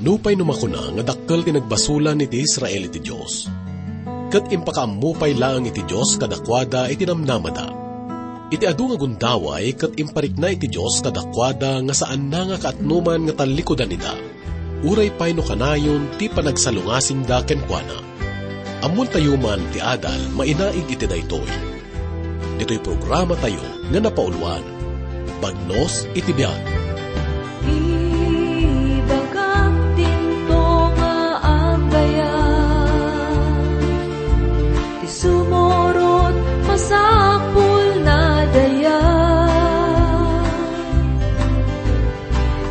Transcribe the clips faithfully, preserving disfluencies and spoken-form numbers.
Nupay no makuna nga dakkel ti nagbasolan iti Israel iti Dios, ket impakaammo pay laeng iti Dios kadakuada iti namnamada. Iti adu nga gundaway ket imparikna iti Dios kadakuada nga saanna nga kaatnoman nga tallikudan ida, uray pay no kanayon ti panagsalungasingda kenkuana. Ammontayo man ti adal mainaig iti daytoy. Ditoy programatayo nga napauluan, Bagnos iti Biag. Ibagak dinto nga agayam, ti sumurot masapul na daya.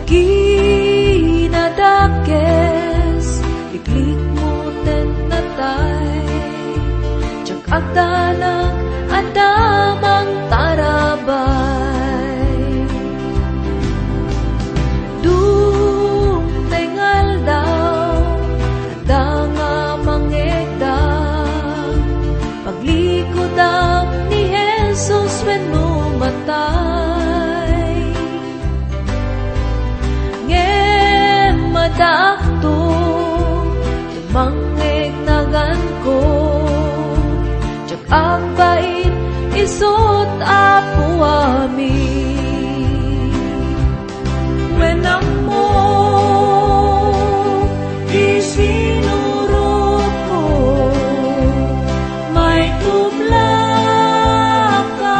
Kinadakes, liklikmo ten natay, diak agdanag adda mangtarabay. Dumteng aldaw, adda nga mangegda, paglikudam ni Jesus wenno matay. Ngem addaakto, tumangngeg naganko, diak agbain isut' Apo amin. Wen ammo, isinurotko, maitublaka,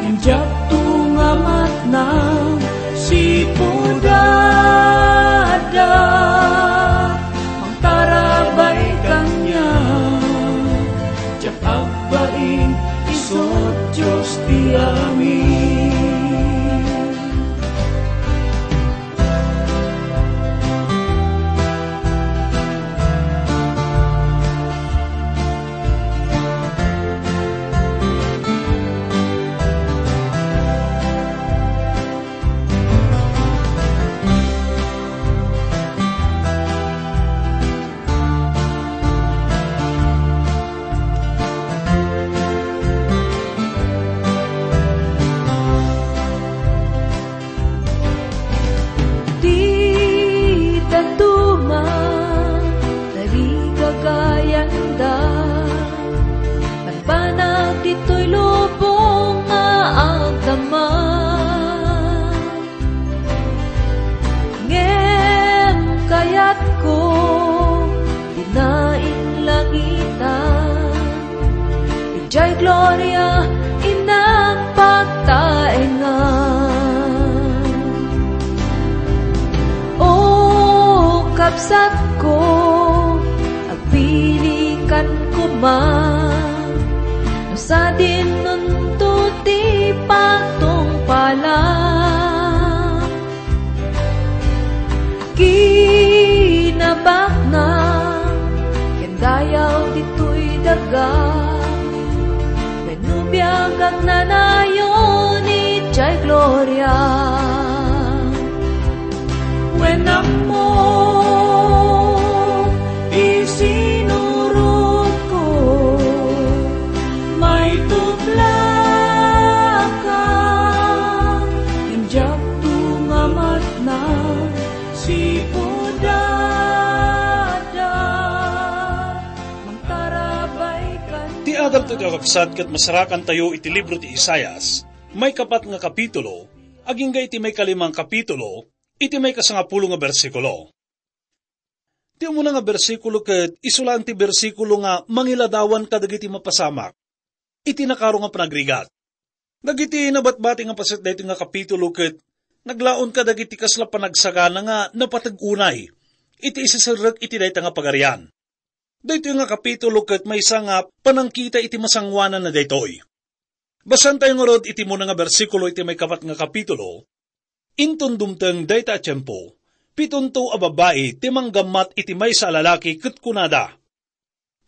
ngem diakto nga matnag sipud adda mangtarabay kaniak. Diak agbain isut' Dios ti amin. Ti dadduma, tarigagayanda, banbanag ditoy lubong nga agdama. Ngem kayatko, dina inlangitan, idiay gloria innak pagtaengan. O kabsatko, agpilikan koma, no sadin nunto ti patungpalam. Kinabaknang ken dayaw ditoy daga, wenno biag agnanayon idiay gloria. Wen ammo, isinurotko, maitublaka, ngem diakto nga matnag sipud adda mangtarabay kaniak. Ti adaltayo, kakabsat, ket masarakantayo iti libro ti Isaias, maikapat nga kapitulo, agingga iti maikalima nga kapitulo, iti maikasangapulo nga bersikulo. Ti umuna nga bersikulo ket isu laeng ti bersikulo nga mangiladawan kadagiti mapasamak iti nakaro nga panagrigat. Dagiti nabatbati nga paset daytoy nga kapitulo ket naglaon kadagiti kasla panagsagana nga napateg unay iti iseserrek iti dayta nga pagarian. Daytoy nga kapitulo ket maysa nga panangkita iti masangoananna daytoy. Basaentayo ngarud iti umuna nga bersikulo iti maikapat nga kapitulo. Inton dumteng dayta a tiempo, pitonto a babbai ti manggammat iti maysa a lalaki ket kunada,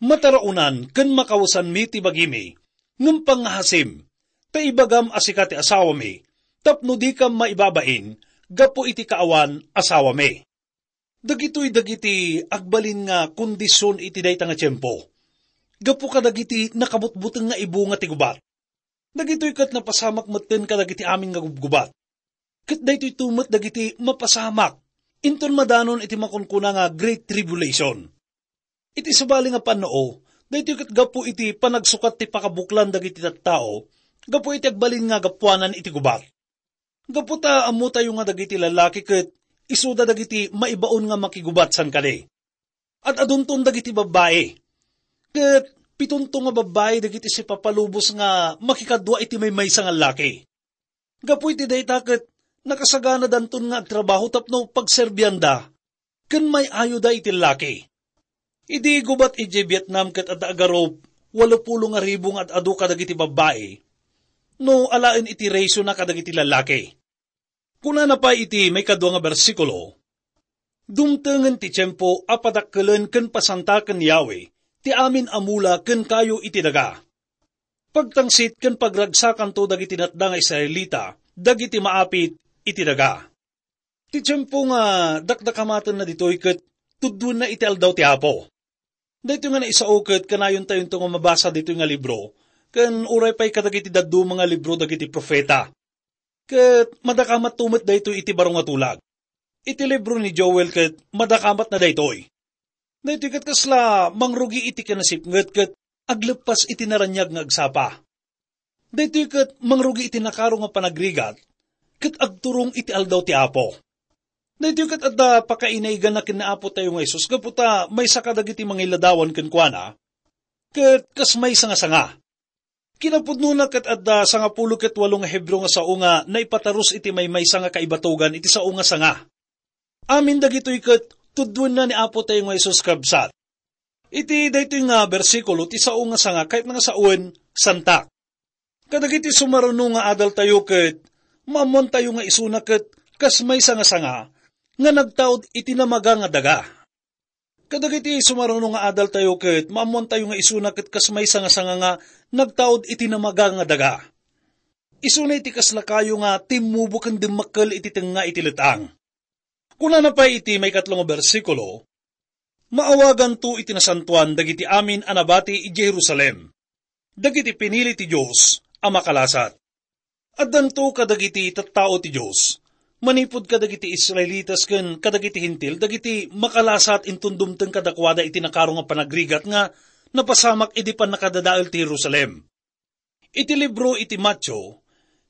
"Mataraonan ken makawesanmi ti bagimi, ngem pangngahasim, ta ibagam a sika ti asawami, tapno dikam maibabain gapu iti kaawan asawami." Dagitoy dagiti agbalin nga kondision iti dayta nga tiempo, gapu kadagiti nakabutbuteng nga ibunga ti gubat. Dagitoy ket napasamak metten kadagiti amin nga gubgubat. Ket daytoyto met dagiti mapasamak Inton madanon iti makunkuna nga Great Tribulation. Iti sabali nga pannao, daytoy ket gapu iti panagsukat ti pakabuklan dagiti tattao, gapu iti agbalin nga gapuanan iti gubat. Gapu ta ammotayo nga dagiti lallaki ket isuda dagiti maibaon nga makigubat san kadi. Ad-adunton dagiti babbai. Ket pitonto nga babbai dagiti sipapalubos nga makikadua iti maymaysa nga laki. Gapu iti dayta ket nakasaganadanton nga agtrabaho tapno pagserbianda ken may-ayoda iti laki. Idi gubat idiay Vietnam ket adda agarup walo pulo nga ribu nga ad-adu kadagiti babbai, no alaen iti rationa kadagiti lallaki. Kunana pay iti maikadua nga bersikulo, "Dumtengen ti tiempo a padakkelen ken pasantaken ni Yahweh ti amin a mula ken kayo iti daga. Pagtangsit ken pagragsakanto dagiti natda nga Israelita dagiti maapit iti daga." Ti tiempo nga dakdakamatenna ditoy ket tuddoenna iti aldaw ti Apo. Daytoy nga naisao ket kanayontayo nga mabasa ditoy nga libro, ken uray pay kadagiti dadduma nga libro dagiti profeta. Ket madakamatto met daytoy iti baro nga tulag. Iti libro ni Joel ket madakamatna daytoy. Daytoy ket kasla mangrugi iti kinasipnget ket agleppas iti naraniag nga agsapa. Daytoy ket mangrugi iti nakaro nga panagrigat ket agturong iti aldaw ti Apo. Daytoy ket adda pakainaiganna ken ni Apo tayo nga Jesus gapu ta maysa kadagiti mangiladawan kenkuana, ket kas maysa nga sanga. Kinapudnona ket adda sangapulo ket walo nga Hebreo nga sao nga naipatarus iti maymaysa nga kaibatogan iti sao nga sanga. Amin dagitoy ket tuddoenna ni Apo tayo nga Jesus, kabsat. Iti daytoy nga bersikulo, ti sao nga sanga, kayatna nga sawen, santak. Kadagiti sumaruno nga adaltayo ket maammoantayo nga isuna ket kas maysa nga sanga nga nagtaud iti namaga nga daga. Kadagiti sumaruno nga adaltayo ket maammoantayo nga isuna ket kas maysa nga sanga nga nagtaud iti namaga nga daga. Isuna iti kasla kayo nga timmubo ken dimmakkel iti tengnga iti let-ang. Kunana pay iti maikatlo nga bersikulo, "Maawaganto iti nasantoan dagiti amin a nabati idiay Jerusalem, dagiti pinili ti Dios a makalasat." Addanto kadagiti tattao ti Dios, manipud kadagiti Israelitas ken kadagiti Hentil, dagiti makalasat inton dumteng kadakuada iti nakaro nga panagrigat nga napasamak idi pannakadadael ti Jerusalem. Iti libro iti Mateo,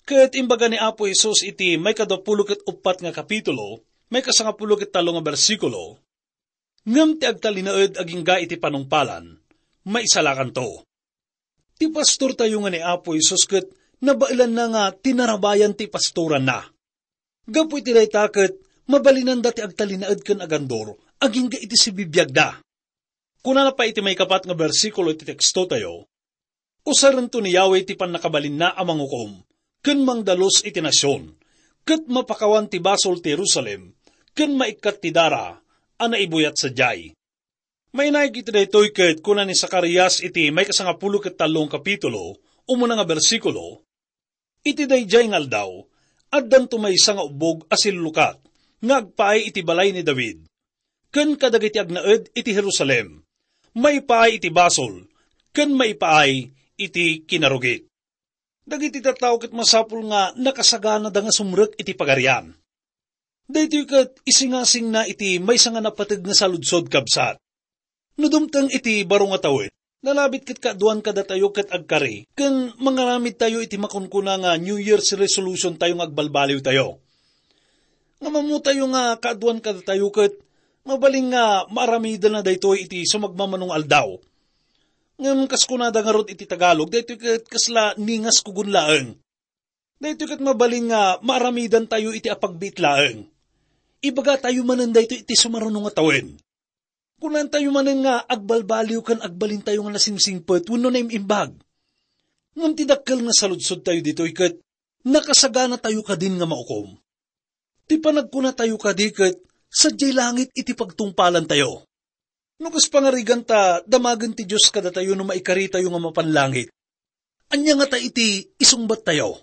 ket imbaga ni Apo Jesus iti maikadapulo ket uppat nga kapitulo, maikasangapulo ket tallo nga bersikulo, "Ngem ti agtalinaed agingga iti panungpalan, maisalakanto." Ti pastortayo nga ni Apo Jesus ket nabaelanna nga tinarabayan ti pastoranna. Gapu iti dayta ket mabalinanda ti agtalinaed ken agandor agingga iti sibibiagda. Kunana pay iti maikapat nga bersikulo iti tekstotayo, "Usarento ni Yahweh ti pannakabalinna a mangukom ken mangdalus iti nasion, ket mapakawan ti basol ti Jerusalem ken maikkat ti dara a naibuyat sadiay." Mainaig iti daytoy ket kuna ni Zacarias iti maikasangapulo ket tallo nga kapitulo, umuna nga bersikulo, "Iti daydiay nga aldaw, addanto maysa nga ubbog a sillukat nga agpaay iti balay ni David, ken kadagiti agnaed iti Jerusalem, maipaay iti basol, ken maipaay iti kinarugit." Dagiti tattao ket masapul nga nakasaganada nga sumrek iti Pagarian. Daytoy ket isingasingna iti maysa nga napateg nga saludsod, kabsat. No dumteng iti baro nga tawen, nalabit ket kaaduan kadatayo ket agkari, ken mangaramidtayo iti makunkuna nga New Year's resolution tayo nga agbalbaliwtayo. Ngem ammotayo nga kaaduan kadatayo ket mabalin nga maaramidenna daytoy iti sumagmamano nga aldaw. Ngem kas kunada ngarud iti Tagalog, daytoy ket kasla ningas kugon laeng. Daytoy ket mabalin nga maaramidantayo iti apagbiit laeng. Ibagatayo manen daytoy iti sumaruno nga tawen. Kunantayo manen nga agbalbaliw ken agbalintayo nga nasingsingpet wenno naim-imbag. Ngem ti dakkel nga saludsodtayo ditoy ket nakasaganatayo kadin nga maukom. Ti panagkunatayo kadi ket sadiay langit iti pagtungpalantayo. No kas pangarigan ta damagen ti Dios kadatayo no maikaritayo nga mapan langit, ania ngata iti isungbattayo?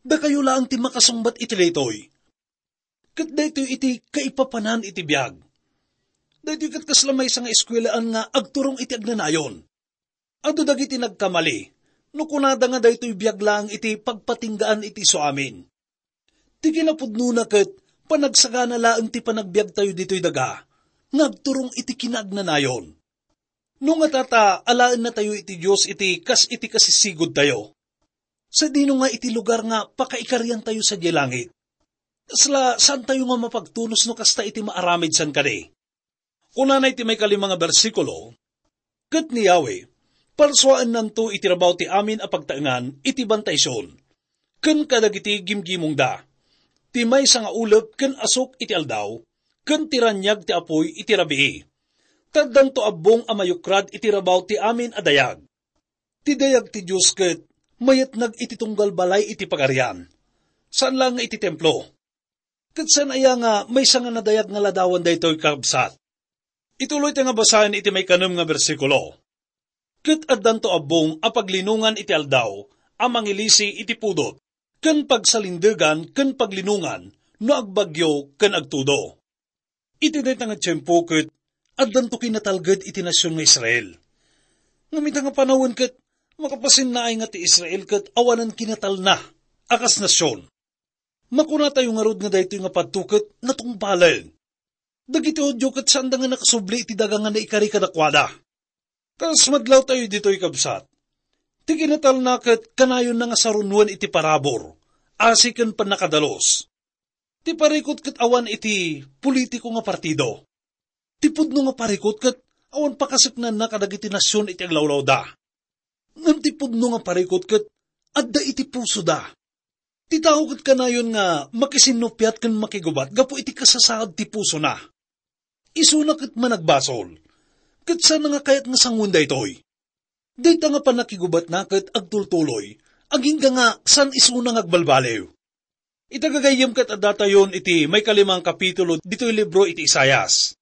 Dakayo laeng ti makasungbat iti daytoy. Ket daytoy iti kaipapanan iti biag. Daytoy ket kasla maysa nga eskuelaan nga agturong iti agnanayon. Adu dagiti nagkamali, no kunada nga daytoy biag laeng iti pagpatinggaan iti isu amin. Ti kinapudnona ket Panagsagana laeng ti panagbiagtayo ditoy daga nga agturong iti kinaagnanayon. No ngata ta alaennatayo iti Dios iti kas iti kasisigudtayo, sadino nga iti lugar nga pakaikariantayo sadiay langit? Kasla saantayo nga mapagtunos no kasta iti maaramid san kadi? Kunana iti maikalima nga bersikulo, "Ket ni Yahweh, parsuaennanto iti rabaw ti amin a pagtaengan iti bantay Sion, ken kadagiti gimgimongda, ti maysa nga ulep ken asuk iti aldaw, ken ti raniag ti apuy iti rabii. Ta addanto abbong a mayukrad iti rabaw ti amin a dayag." Ti dayag ti Dios ket mayatnag iti tunggal balay iti Pagarian, saan laeng nga iti templo. Ket saan aya nga maysa nga nadayag nga ladawan daytoy, kabsat? Ituloy ta nga basaen iti maikanem nga bersikulo. "Ket addanto abbong a paglinongan iti aldaw a mangilisi iti pudot, ken pagsalindegan ken paglinongan no agbagyo ken agtudo." Iti dayta nga tiempo ket addanto kinatalged iti nasion nga Israel. Ngem ita nga panawen ket makapasinnaay nga ti Israel ket awanen kinatalna a kas nasion. Makunatayo ngarud nga daytoy nga padto ket natungpalen. Dagiti Judio ket saanda nga nakasubli iti daga nga naikari kadakuada. Kas madlawtayo ditoy, kabsat, ti kinatalna ket kanayonna nga sarunoen iti parabur, asi ken pannakadalus. Ti parikut ket awan iti politiko nga partido. Ti pudno nga parikut ket awan pakaseknanna kadagiti nasion iti aglawlawda. Ngem ti pudno nga parikut ket adda iti pusoda. Ti tao ket kanayon nga makisinnupiat ken makigubat gapu iti kasasaad ti pusona. Isuna ket managbasol. Ket saan nga kayat nga sangoen daytoy? Dayta nga pannakigubatna ket agtultuloy, agingga nga saan isuna nga agbalbaliw. Ita gagayyem ket addatayon iti maikalimang kapitulo ditoy libro iti Isaias.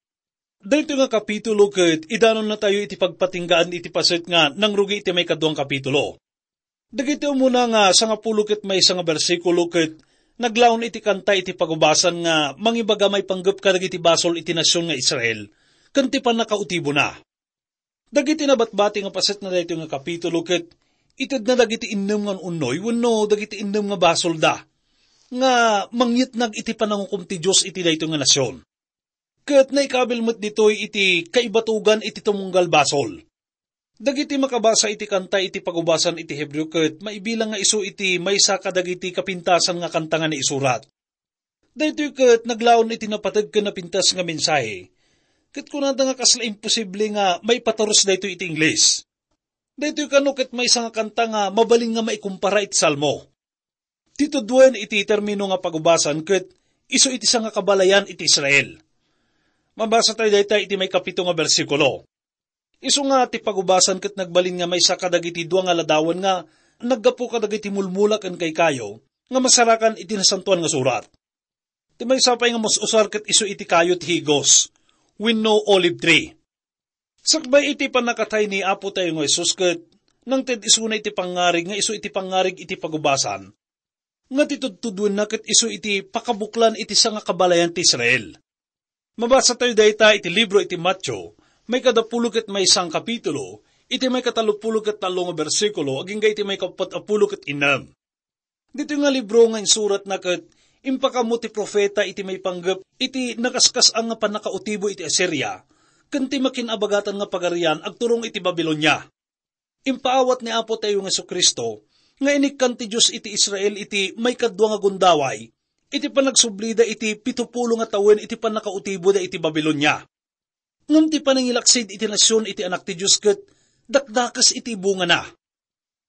Daytoy nga kapitulo ket idanonnatayo iti pagpatinggaan iti paset nga nangrugi iti maikaduang kapitulo. Dagiti umuna nga sangapulo ket maysa nga bersikulo ket naglaon iti kanta iti pagubasan nga mangibaga maipanggep kadagiti basol iti nasion nga Israel ken ti pannakautibona. Dagiti nabatbati nga paset na daytoy nga kapitulo ket itedna dagiti innem nga un-unnoy wenno dagiti innem nga basolda nga mangyetnag iti panangukom ti Dios iti daytoy nga nasion. Ket naikabil met ditoy iti kaibatogan iti tumunggal basol. Dagiti makabasa iti kanta iti pagubasan iti Hebreo ket maibilang nga isu iti maysa kadagiti kapintasan nga kanta nga naisurat. Daytoy ket naglaon iti napateg ken napintas nga mensahe. Ket kunada nga kasla imposible nga maipaturus daytoy iti Ingles. Daytoy kano ket maysa nga kanta nga mabalin nga maikumpara iti Salmo. Ti tuduen iti termino nga pagubasan ket isu iti sangakabalayan iti Israel. Mabasa tayo dayta iti maikapito nga bersikulo. Isu nga ti pagubasan ket nagbalin nga maysa kadagiti dua nga ladawan nga naggapu kadagiti mulmula ken kaykayo nga masarakan iti Nasantoan nga Surat. Ti maysa pay nga mus-usar ket isu iti kayo ti higos wenno olive tree. Sakbay iti pannakatay ni Apo tayo nga Jesus ket nangted isuna iti pangngarig nga isu iti pangngarig iti pagubasan, nga ti tudtuduenna ket isu iti pakabuklan iti sangakabalayan ti Israel. Mabasa tayo dayta iti libro iti Mateo, maikadapulo ket maysa nga kapitulo, iti maikatallopulo ket tallo nga bersikulo, agingga iti maikapat a pulo ket innem. Ditoy nga libro nga insuratna ket impakaammo ti profeta iti maipanggep iti nakaskas-an nga pannakautibo iti Asiria ken ti makin-abagatan nga pagarian agturong iti Babilonia. Impaawat ni Apo tayo nga Jesu-Cristo nga inikkan ti Dios iti Israel iti maikadua nga gundaway iti panagsublida iti pitupulo nga tawen iti pannakautiboda iti Babilonia. Ngem ti panangilaksid iti nasion iti Anak ti Dios ket dakdakes iti bungana.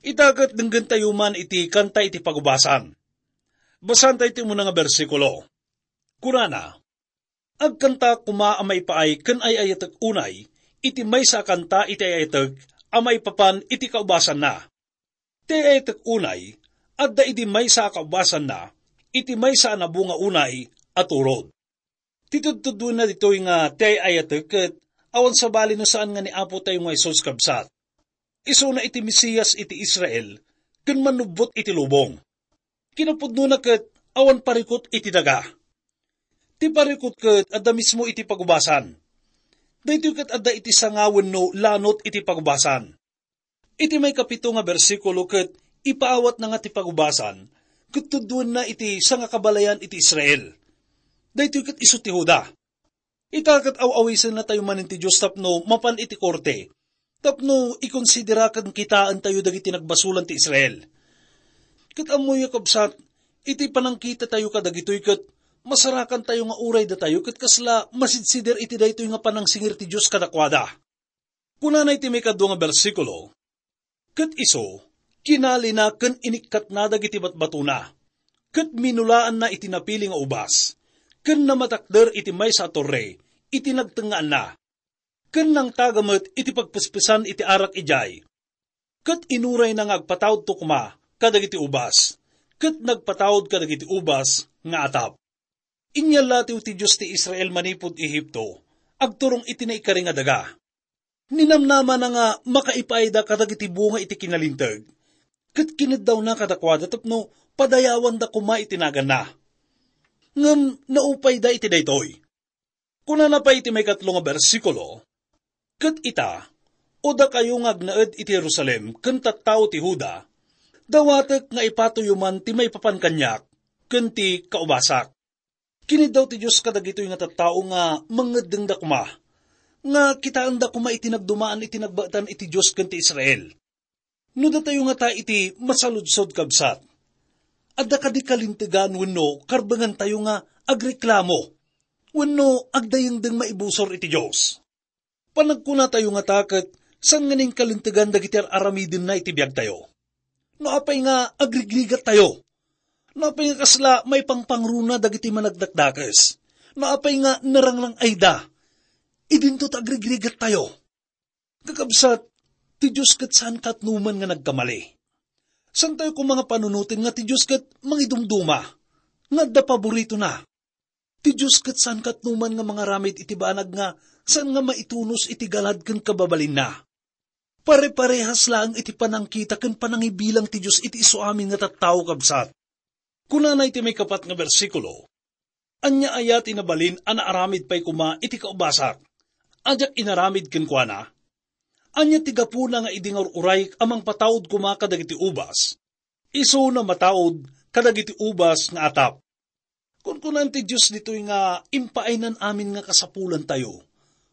Ita ket denggentayo man iti kanta iti pagubasan. Basaentayo ti umuna nga bersikulo. Kunana, "Agkantaak koma a maipaay ken ay-ayatek unay iti maysa a kanta iti ay-ayatek a maipapan iti kaubasanna. Ti ay-ayatek unay, adda idi maysa a kaubasanna, iti maysa a nabunga unay a turod." Ti tudtuduenna ditoy nga ti ay-ayatek ket awan sabali no saan nga ni Apo tayo nga Jesus, kabsat. Isuna iti Mesias iti Israel ken mannubbot iti lubong. Kinapudnona ket awan parikut iti daga. Ti parikut ket adda mismo iti pagubasan. Daytoy ket adda iti sanga wenno lanot iti pagubasan. Iti maikapito nga bersikulo ket ipaawatna nga ti pagubasan ket tuddoenna iti sangakabalayan iti Israel. Daytoy ket isu ti Juda. Ita ket aw-awisennatayo manen ti Dios tapno mapan iti korte, tapno ikonsidera ken kitaentayo dagiti nagbasolan ti Israel. Ket ammoyo, kabsat, iti panangkitatayo kadagitoy ket masarakantayo nga uray datayo ket kasla masidsider iti daytoy nga panangsingir ti Dios kadakuada. Kunana iti maikadua nga bersikulo, "Ket isu, kinalina ken inikkatna dagiti batbatona, ket minulaanna iti napili nga ubas, ken namatakder iti maysa a torre iti nagtengngaanna, ken nangtaga met iti pagpespesan iti arak idiay, ket inurayna nga agpataudto koma kadagiti ubas, ket nagpataud kadagiti ubas nga atap." Inyallatiw ti Dios ti Israel manipud Egipto, agturong iti naikari nga daga. Ninamnamana nga makaipaayda kadagiti bunga iti kinalinteg, ket kineddawna kadakuada tapno padayawanda koma iti naganna. Ngem naupayda iti daytoy. Kunana pay iti maikatlo nga bersikulo, "Ket ita, o dakayo nga agnaed iti Jerusalem ken tattao ti Juda, dawatek nga ipatoyo man ti maipapan kaniak ken ti kaubasak." Kiniddaw ti Dios kadagitoy nga tattao nga mangngeddengda koma, nga kitaenda koma iti nagdumaan iti nagbaetan iti Dios ken ti Israel. No datayo ngata iti masaludsod, kabsat, adda kadi kalintegan wenno karbengantayo nga agreklamo wenno agdayengdeng maibusor iti Dios? Panagkunatayo ngata ket saan nganin kalintegan dagiti ar-aramidenna iti biagtayo. No apay nga agrigrigattayo, no apay nga kasla maipangpangruna dagiti managdakdakes, no apay nga narangrang-ayda, idinto ta agrigrigattayo. Kakabsat, ti Dios ket saan katnoman nga nagkamali. Saantayo koma nga panunoten nga ti Dios ket mangidumduma, nga adda paboritona. Ti Dios ket saan katnoman nga mangaramid iti banag nga saan nga maitunos iti galad ken kababalinna. Pare-parehas laeng iti panangkita ken panangibilang ti Dios iti isuamin nga tattao, kabsat. Kunana iti maikapat nga bersikulo, "Ania aya ti nabalin a naaramid pay koma iti kaubasak a diak inaramid kenkuana? Ania ti gapuna nga idi nga ur-urayek a mangpataud koma kadagiti ubas, isu namataud kadagiti ubas nga atap?" Kunkunaan ti Dios ditoy nga impaaynan amin nga kasapulantayo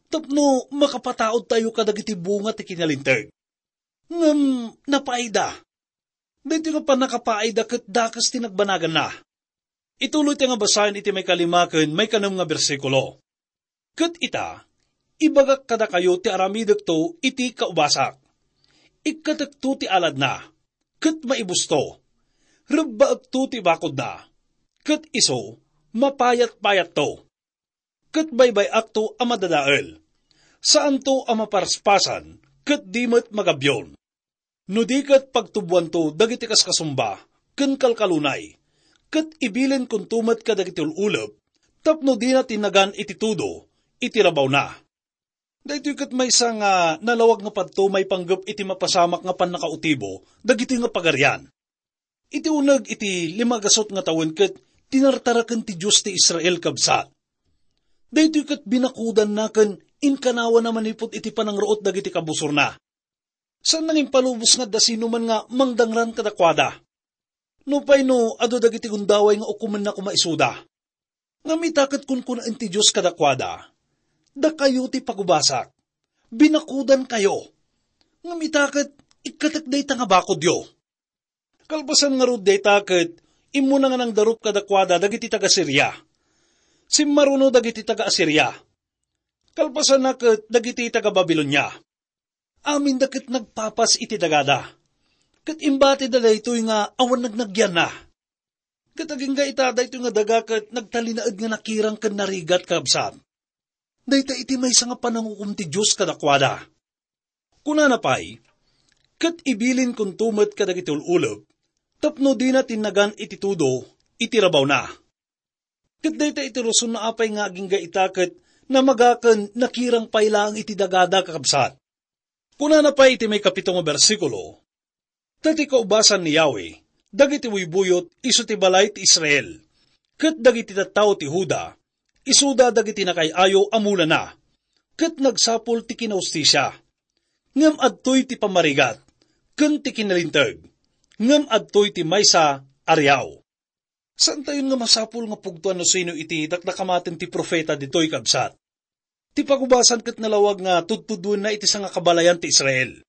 tapno makapataudtayo kadagiti bunga ti kinalinteg. Ngem napaayda. Daytoy nga pannakapaayda ket dakes ti nagbanaganna. Ituloy ti nga basaen iti maikalima ken maikanem nga bersikulo. "Ket ita, ibagak kadakayo ti aramidekto iti kaubasak. Ikkatekto ti aladna, ket maibusto. Rebbaekto ti bakodna, ket isu, mapayat-payatto. Ket baybay-akto a madadael. Saanto a maparaspasan, ket di met magabion. No di ket pagtuboanto dagiti kaskasumba ken kalkalunay, ket ibilinkonto met kadagiti ul-ulep tapno dina tinnagan iti tudo iti rabawna." Daytoy ket maysa nga nalawag nga padto maipanggep iti mapasamak nga pannakautibo dagitoy nga pagarian. Iti uneg iti limagasut nga tawen ket tinartaraken ti Dios ti Israel, kabsat. Daytoy ket binakudanna ken inkanawana manipud iti panangruot dagiti kabusorna. Saan nga impalubos nga adda sinuman nga mangdangran kadakuada. Nupay no adu dagiti gundaway nga ukomenna koma isuda. Ngem ita ket kunkunaen ti Dios kadakuada, "Dakayo ti pagubasak. Binakudankayo. Ngem ita ket ikkatek dayta nga bakodyo." Kalpasan ngarud dayta ket immuna nga nangdarup kadakuada dagiti taga-Siria. Simmaruno dagiti taga-Asiria. Kalpasanna ket dagiti taga-Babilonia. Aminda ket nagpapas iti dagada. Ket imbatida daytoy nga awan nagnagianna. Ket agingga ita daytoy nga daga ket nagtalinaed nga nakirang ken narigat, kabsat. Dayta iti maysa nga panangukom ti Dios kadakuada. Kunana pay, "Ket ibilinkonto met kadagiti ul-ulep tapno dina tinnagan iti tudo iti rabawna." Ket dayta iti rason no apay nga agingga ita ket namaga ken nakirang pay laeng iti dagada, kakabsat. Kunana pay iti maikapito nga bersikulo, "Ta ti kaubasan ni Yahweh dagiti buybuyot isu ti balay ti Israel, ket dagiti tattao ti Juda isuda dagiti nakay-ayo a mulana, ket nagsapul ti kinahustisia. Ngem adtoy ti pamarigat ken ti kinalinteg, ngem adtoy ti maysa a riaw." Saantayon nga masapul nga pugtoan no sino iti dakdakamaten ti profeta ditoy, kabsat. Ti pagubasan ket nalawag nga tudtuduenna iti sangakabalayan ti Israel.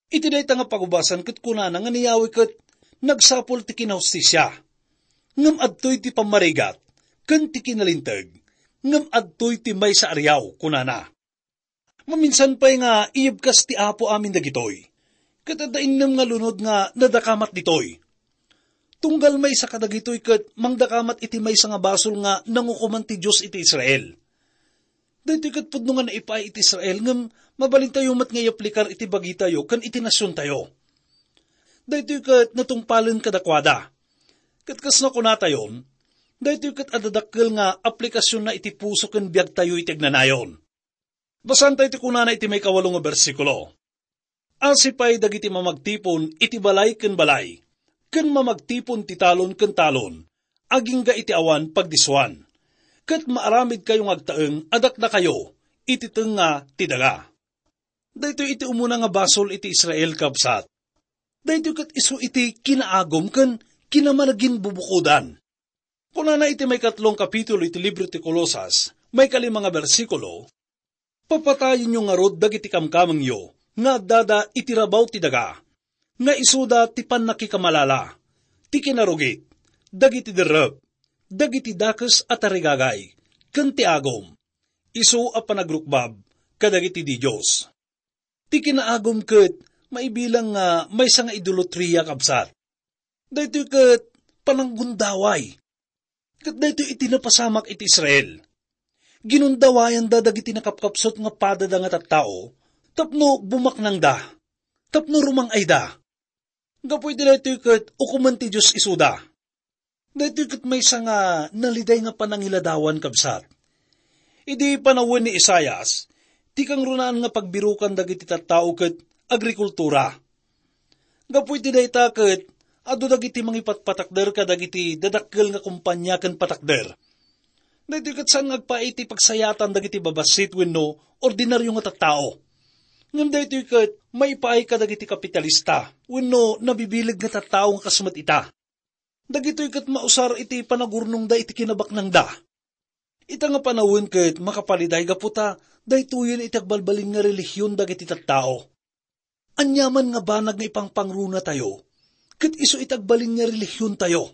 Iti dayta nga pagubasan ket kunana nga ni Yahweh ket nagsapul ti kinahustisia, ngem adtoy ti pammarigat ken ti kinalinteg, ngem adtoy ti maysa a riaw, kunana. Maminsan pay nga iyebkas ti Apo amin dagitoy, ket adda innem nga lunod nga nadakamat ditoy. Tunggal maysa kadagitoy ket mangdakamat iti maysa nga basol nga nangukoman ti Dios iti Israel. Daytoy ket pudno nga naipaay iti Israel, ngem mabalintayo met nga iaplikar iti bagitayo ken iti nasiontayo. Daytoy ket natungpalen kadakuada. Ket kas nakunatayon, daytoy ket adda dakkel nga aplikasionna iti puso ken biagtayo iti agnanayon. Basaentayo ti kunana iti maikawalo nga bersikulo. Asi pay dagiti mamagtipon iti balay ken balay, ken mamagtipon ti talon ken talon, agingga iti awan pagdisuan. Ket maaramidkayo nga agtaeng a dakdakayo iti tengnga ti daga. Daytoy iti umuna nga basol iti Israel, kabsat. Daytoy ket isu iti kinaagum ken kinamanaginbubukodan. Kunana iti maikatlong kapitulo iti libro ti Colosas, maikalima nga bersikulo, "Papatayenyo ngarud dagiti kamkamengyo nga addada iti rabaw ti daga, nga isuda ti pannakikamalala, ti kinarugit, dagiti derrep, dagiti dakes a tarigagay, ken ti agum, isu a panagrukbab kadagiti didios." Ti kinaagum ket maibilang nga maysa nga idolatria, kabsat. Daytoy ket pananggundaway. Ket daytoy iti napasamak iti Israel. Ginundawayanda dagiti nakapkapsut nga padada nga tattao tapno bumaknangda, tapno rumang-ayda. Gapu iti daytoy ket ukomen ti Dios isuda. Daytoy ket maysa nga naliday nga panangiladawan, kabsat. Idi panawen ni Isaias, ti kangrunaan nga pagbirukan dagiti tattao ket agrikultura. Gapu iti dayta ket adu dagiti mangipatpatakder kadagiti dadakkel nga kompania ken patakder. Daytoy ket saan nga agpaay iti pagsayatan dagiti babassit wenno ordinaryo nga tattao. Ngem daytoy ket maipaay kadagiti kapitalista wenno nabibileg nga tattao nga kas met ita. Dagitoy ket mausar iti panagurnongda iti kinabaknangda. Ita nga panawen ket makapaliday gapu ta daytoyen iti agbalbalin nga relihion dagiti tattao. Aniaman nga banag nga ipangpangrunatayo, ket isu iti agbalin nga relihiontayo.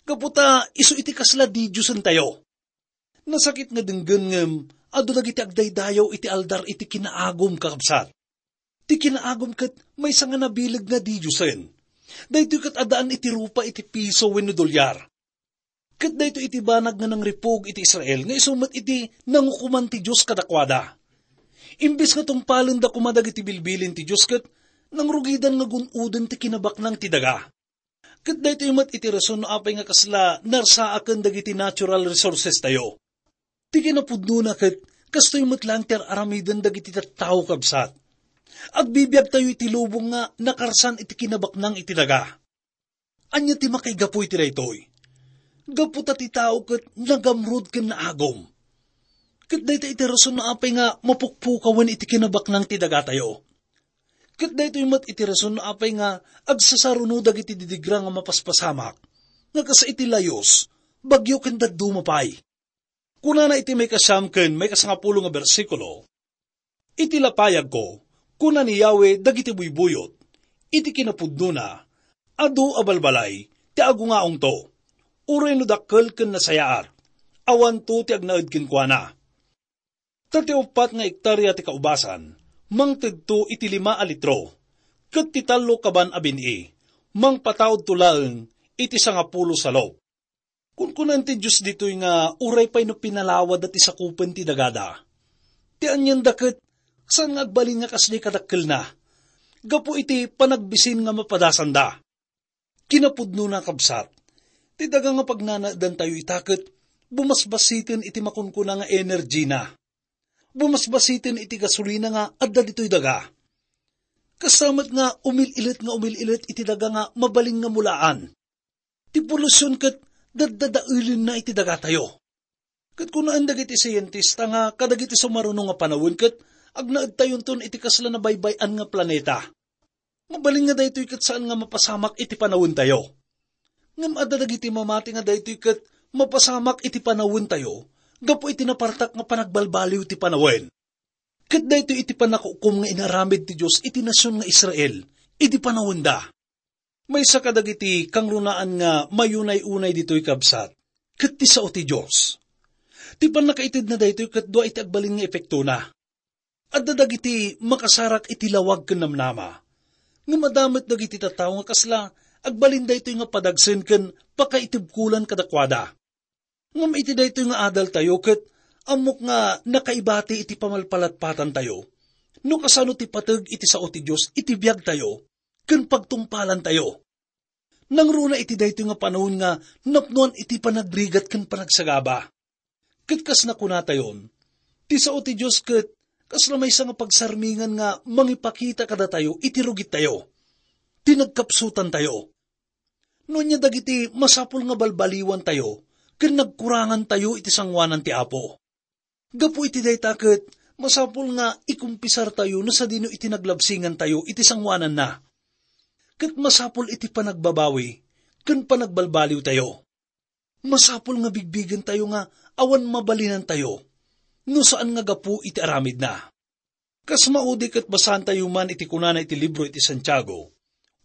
Gapu ta isu iti kasla didiosentayo. Nasakit nga denggen ngem adu dagiti agdaydayaw iti aldar iti kinaagum, kakabsat. Ti kinaagum ket maysa nga nabileg nga didiosen. Daytoy ket addaan iti rupa iti piso wenno dolyar. Ket daytoy iti banag nga nangripug iti Israel nga isu met iti nangukoman ti Dios kadakuada. Imbes nga tungpalenda koma dagiti bilbilin ti Dios ket nangrugidan nga gun-oden ti kinabaknang ti daga. Ket daytoy met iti rason no apay nga kasla narsaaken dagiti natural resources tayo. Ti kinapudnona ket kastoy met laeng ti ar-aramiden dagiti tattao, kabsat. Agbibiag tayo iti lubong nga nakarsan iti kinabaknang iti daga. Ania ti makaigapu iti daytoy? Gapu ta ti tao ket nagamrud ken naagum. Ket dayta iti rason no apay nga mapukpukawen iti kinabaknang ti dagatayo. Ket daytoy met iti rason no apay nga agsasaruno dagiti didigra nga mapaspasamak, nga kas iti layus, bagyo ken dadduma pay. Kunana iti maikasiam ken maikasangapulo nga bersikulo, "Iti lapayagko," kuna ni Yahweh dagiti buybuyot, "iti kinapudnona, adu a balbalay ti agungaongto, uray no dakkel ken nasayaat, awanto ti agnaed kenkuana." Ta ti uppat nga ektaria ti kaubasan, mangtedto iti lima a litro, ket ti tallo kaban a bin-i, mangpataudto laeng iti sangapulo salop. Kunkunaan ti Dios ditoy nga uray pay no pinalawada ti sakupen ti dagada, ti anianda ket saan nga agbalin nga kasdi kadakkelna, gapu iti panagbisin nga mapadasanda. Kinapudnona, kabsat, ti daga nga pagnanaedantayo ita ket bumasbasiten iti makunkuna nga energyna. Bumasbasiten iti gasolina nga adda ditoy daga. Kasta met nga umil-ilet nga umil-ilet iti daga nga mabalin nga mulaan. Ti polusion ket daddadaelenna iti dagatayo. Ket kunaan dagiti sientista nga kadagiti sumaruno nga panawen ket agnaedtayonton iti kasla nabaybay-an nga planeta. Mabalin nga daytoy ket saan nga mapasamak iti panawentayo. Ngem adda dagiti mamati nga daytoy ket mapasamak iti panawentayo gapu iti napartak nga panagbalbaliw ti panawen. Ket daytoy iti pannakukom nga inaramid ti Dios iti nasion nga Israel idi panawenda. Maysa kadagiti kangrunaan nga mayunay-unay ditoy, kabsat, ket ti sao ti Dios. Ti pannakaitedna daytoy ket dua iti agbalin nga epektona. Adda dagiti makasarak iti lawag ken namnama. Ngem adda met dagiti tattao nga kasla agbalin daytoy nga padagsen ken pakaitibkolan kadakuada. Ngem iti daytoy nga adaltayo ket ammok nga nakaibati iti pamalpalatpatantayo no kasano ti pateg iti sao ti Dios iti biagtayo ken pagtungpalantayo. Nangruna iti daytoy nga panawen nga napnoan iti panagrigat ken panagsagaba. Ket kas nakunatayon, ti sao ti Dios ket kasla maysa nga pagsarmingan nga mangipakita kadatayo iti rugittayo, ti nagkapsutantayo. No ania dagiti masapul nga balbaliwantayo ken nagkurangantayo iti sangoanan ti Apo. Gapu iti dayta ket masapul nga ikumpisartayo no sadino iti naglabsingantayo iti sangoananna. Ket masapul iti panagbabawi ken panagbalbaliwtayo. Masapul nga bigbigentayo nga awan mabalinantayo no saan nga gapu iti aramidna. Kas maudi ket basaantayo man iti kunana iti libro iti Santiago,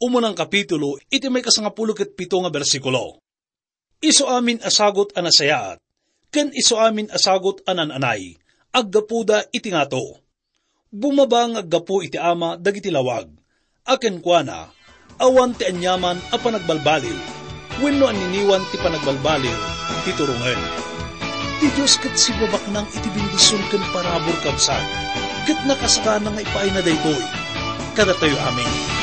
umunang kapitulo, iti maikasangapulo ket pito nga bersikulo. Isu amin a sagut a nasayaat, ken isu amin a sagut a naan-anay, aggapuda iti ngato. Bumaba nga aggapu iti Ama dagiti lawag, a kenkuana, awan ti aniaman a panagbalbaliw, wenno anniniwan ti panagbalbaliw ti turongen. Ti Dios ket sibabaknang iti bendision ken parabur, kabsat, ket nakasakana nga ipaayna daytoy kadatayo amin.